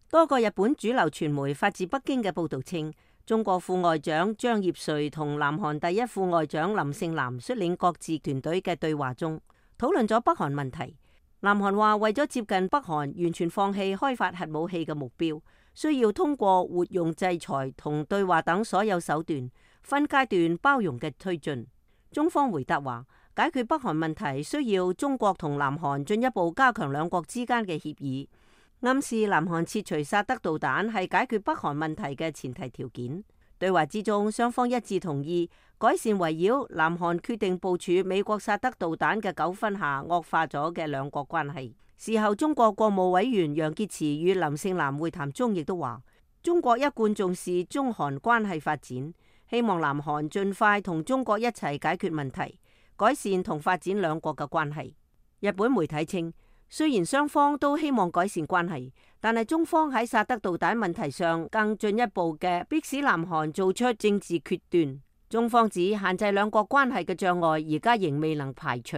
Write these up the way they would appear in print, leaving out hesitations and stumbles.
多個日本主流傳媒發自北京嘅報道稱，中國副外長張業遂同南韓第一副外長林盛南率領各自團隊嘅對話中，討論咗北韓問題。南韓話為咗接近北韓完全放棄開發核武器嘅目標，需要通過活用制裁同對話等所有手段，分階段包容嘅推進。中方回答話，解決北韓問題需要中國同南韓進一步加強兩國之間嘅協議，暗示南韓撤除薩德導彈係解決北韓問題嘅前提條件。對話之中，雙方一致同意改善圍繞南韓決定部署美國薩德導彈嘅糾紛下惡化咗嘅兩國關係。事後，中國國務委員楊潔篪與林盛南會談中亦都話，中國一貫重視中韓關係發展，希望南韓盡快同中國一齊解決問題，改善同發展兩國嘅關係。日本媒體稱，雖然雙方都希望改善關係，但係中方喺薩德導彈問題上更進一步嘅迫使南韓做出政治決斷。中方指限制兩國關係嘅障礙而家仍未能排除。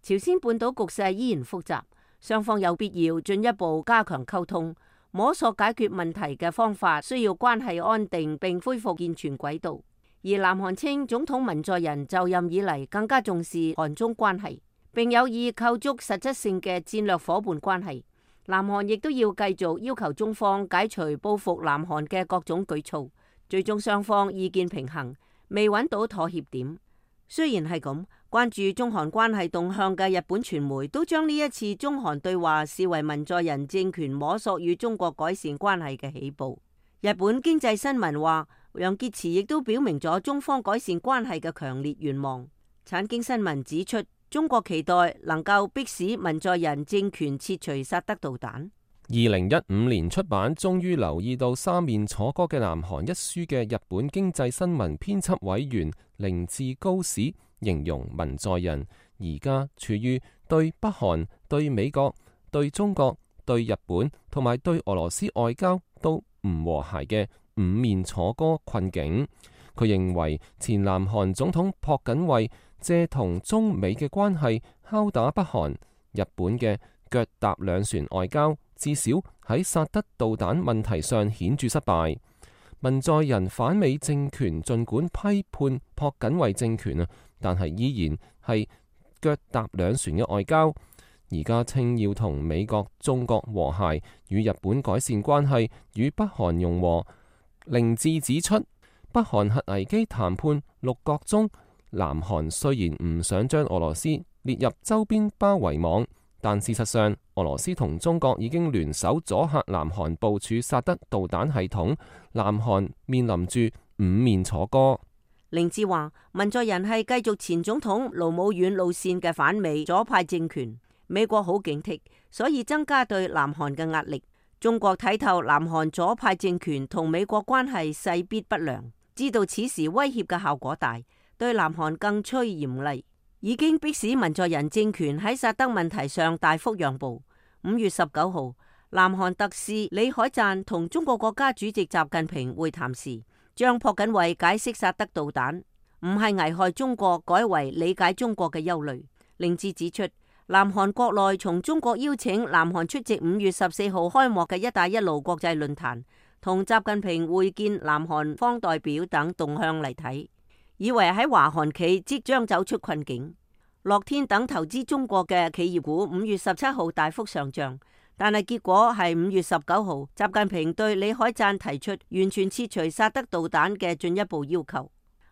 朝鮮半島局勢依然複雜，雙方有必要進一步加強溝通，摸索解決問題嘅方法，需要關係安定並恢復健全軌道。而南韓稱總統文在寅就任以嚟更加重視韓中關係，並有意構築實質性嘅戰略夥伴關係。南韓亦都要繼續要求中方解除報復南韓嘅各種舉措，最終雙方意見平衡，未揾到妥協點。雖然係咁，關注中韓關係動向嘅日本傳媒都將呢一次中韓對話視為文在寅政權摸索與中國改善關係嘅起步。日本經濟新聞話，楊潔篪亦都表明咗中方改善關係嘅強烈願望。產經新聞指出，中國期待能夠迫使文在寅政權撤除薩德導彈。2015年出版，終於留意到三面楚歌嘅南韓一書嘅日本經濟新聞編輯委員凌志高史形容文在寅而家處於對北韓、對美國、對中國、對日本同埋對俄羅斯外交都唔和諧嘅五面楚歌困境。佢認為前南韓總統朴槿惠借同中美嘅關係敲打北韓，日本嘅腳踏兩船外交至少喺薩德導彈問題上顯著失敗。文在寅反美政權盡管批判朴槿惠政權啊，但係依然係腳踏兩船嘅外交。而家稱要同美國、中國和諧，與日本改善關係，與北韓融和。凌志指出，北韓核危機談判六角中，南韓雖然唔想將俄羅斯列入周邊包圍網，但事實上俄羅斯同中國已經聯手阻嚇南韓部署薩德導彈系統，南韓面臨住五面楚歌。凌志話，文在寅係繼續前總統盧武鉉路線嘅反美左派政權，美國好警惕，所以增加對南韓嘅壓力。中國睇透南韓左派政權同美國關係勢必不良，知道此時威脅嘅效果大，對南韓更趨嚴厲，已經迫使文在寅政權喺薩德問題上大幅讓步。5月19號，南韓特使李海贊同中國國家主席習近平會談時，將朴槿惠解釋薩德導彈唔係危害中國，改為理解中國嘅憂慮。凌志指出，南韓國內從中國邀請南韓出席5月14號開幕嘅一帶一路國際論壇，同習近平會見南韓方代表等動向嚟睇，以為喺華韓企即將走出困境。樂天等投資中國嘅企業股5月17號大幅上漲，但係結果係5月19號，習近平對李海贊提出完全撤除薩德導彈嘅進一步要求。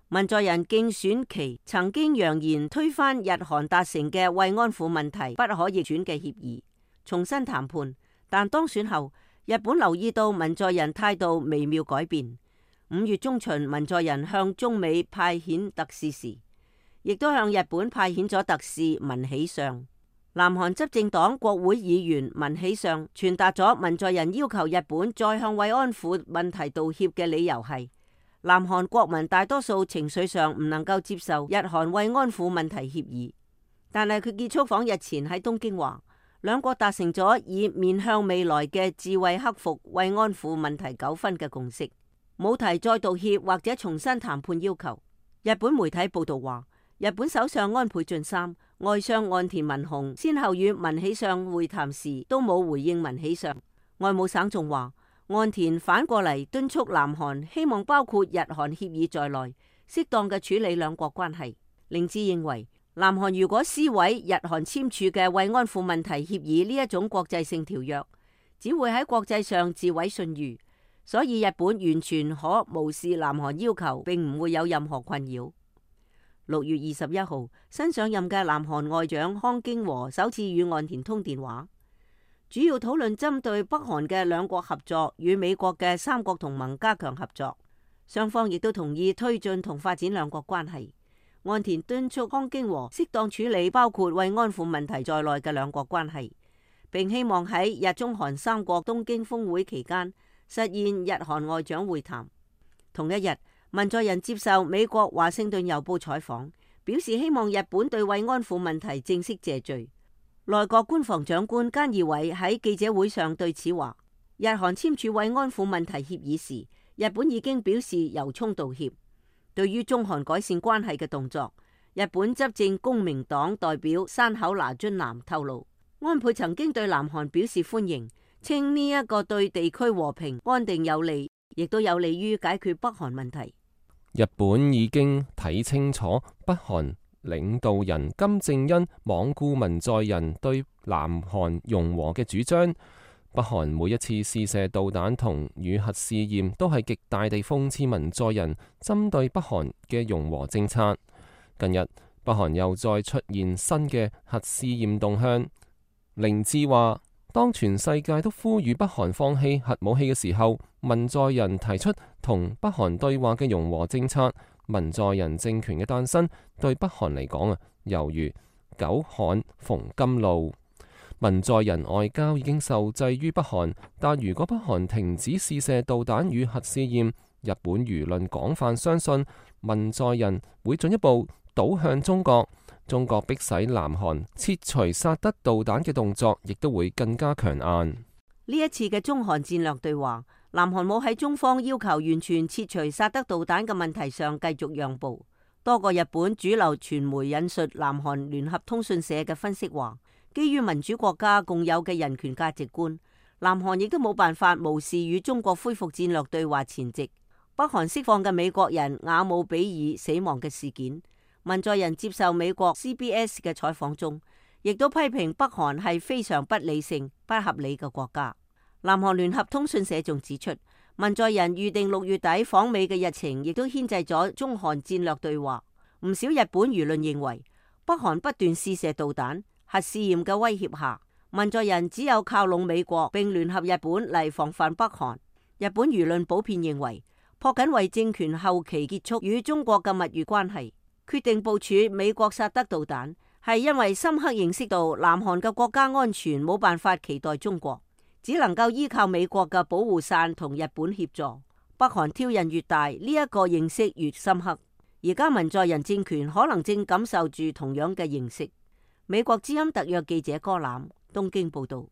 文在寅競選期曾經揚言推翻日韓達成嘅慰安婦問題不可逆轉嘅協議，重新談判。但當選後，日本留意到文在寅態度微妙改變。5月中旬，文在寅向中美派遣特使時，亦都向日本派遣咗特使文喜相。南韓執政黨國會議員文喜相傳達咗文在寅要求日本再向慰安婦問題道歉嘅理由係，南韓國民大多數情緒上唔能夠接受日韓慰安婦問題協議，但係佢結束訪日前喺東京話，兩國達成咗以面向未來嘅智慧克服慰安婦問題糾紛嘅共識，冇提再道歉或者重新談判要求。日本媒體報道話，日本首相安倍晉三、外相岸田文雄先後與文喜相會談時都冇回應文喜相。外務省仲話，岸田反過嚟敦促南韓希望包括日韓協議在內，適當嘅處理兩國關係。令志認為，南韓如果撕毀日韓簽署嘅慰安婦問題協議呢一種國際性條約，只會喺國際上自毀信譽，所以日本完全可無視南韓要求，並唔會有任何困擾。6月21號，新上任嘅南韓外長康京和首次與岸田通電話，主要討論針對北韓嘅兩國合作與美國嘅三國同盟加強合作，雙方亦都同意推進同發展兩國關係。岸田敦促康京和適當處理包括慰安婦問題在內嘅兩國關係，並希望喺日中韓三國東京峰會期間實現日韓外長會談。同一日，文在寅接受美國華盛頓郵報採訪，表示希望日本對慰安婦問題正式謝罪。內閣官房長官菅義偉喺記者會上對此話，日韓簽署慰安婦問題協議時，日本已經表示由衷道歉。對於中韓改善關係嘅動作，日本執政公明黨代表山口那津男透露，安倍曾經對南韓表示歡迎，稱呢一個對地區和平安定有利，亦都有利於解決北韓問題。日本已經睇清楚北韓領導人金正恩罔顧文在寅對南韓融和嘅主張。北韓每一次試射導彈同與核試驗，都係極大地諷刺文在寅針對北韓嘅融和政策。近日，北韓又再出現新嘅核試驗動向。凌志話，當全世界都呼籲北韓放棄核武器嘅時候，文在寅提出同北韓對話嘅融和政策。文在寅政權嘅誕生對北韓嚟講猶如久旱逢甘露。文在寅外交已經受制於北韓，但如果北韓停止試射導彈與核試驗，日本輿論廣泛相信文在寅會進一步倒向中國。中國迫使南韓撤除薩德導彈嘅動作，亦都會更加強硬。呢一次嘅中韓戰略對話，南韓冇喺中方要求完全撤除薩德導彈嘅問題上繼續讓步。多個日本主流傳媒引述南韓聯合通訊社嘅分析話，基於民主國家共有嘅人權價值觀，南韓亦都冇辦法無視與中國恢復戰略對話前夕北韓釋放嘅美國人瓦姆比爾死亡嘅事件。文在寅接受美國 CBS 嘅採訪中，亦都批評北韓係非常不理性、不合理嘅國家。南韓聯合通訊社仲指出，文在寅預定6月底訪美嘅日程，亦都牽制咗中韓戰略對話。唔少日本輿論認為，北韓不斷試射導彈、核試驗嘅威脅下，文在寅只有靠攏美國並聯合日本嚟防範北韓。日本輿論普遍認為，朴槿惠政權後期結束與中國嘅蜜月關係，決定部署美國薩德導彈，係因為深刻認識到南韓嘅國家安全冇辦法期待中國，只能夠依靠美國嘅保護傘同日本協助。北韓挑釁越大，呢一個認識越深刻。而家文在寅政權可能正感受住同樣嘅認識。美國之音特約記者柯欖東京報道。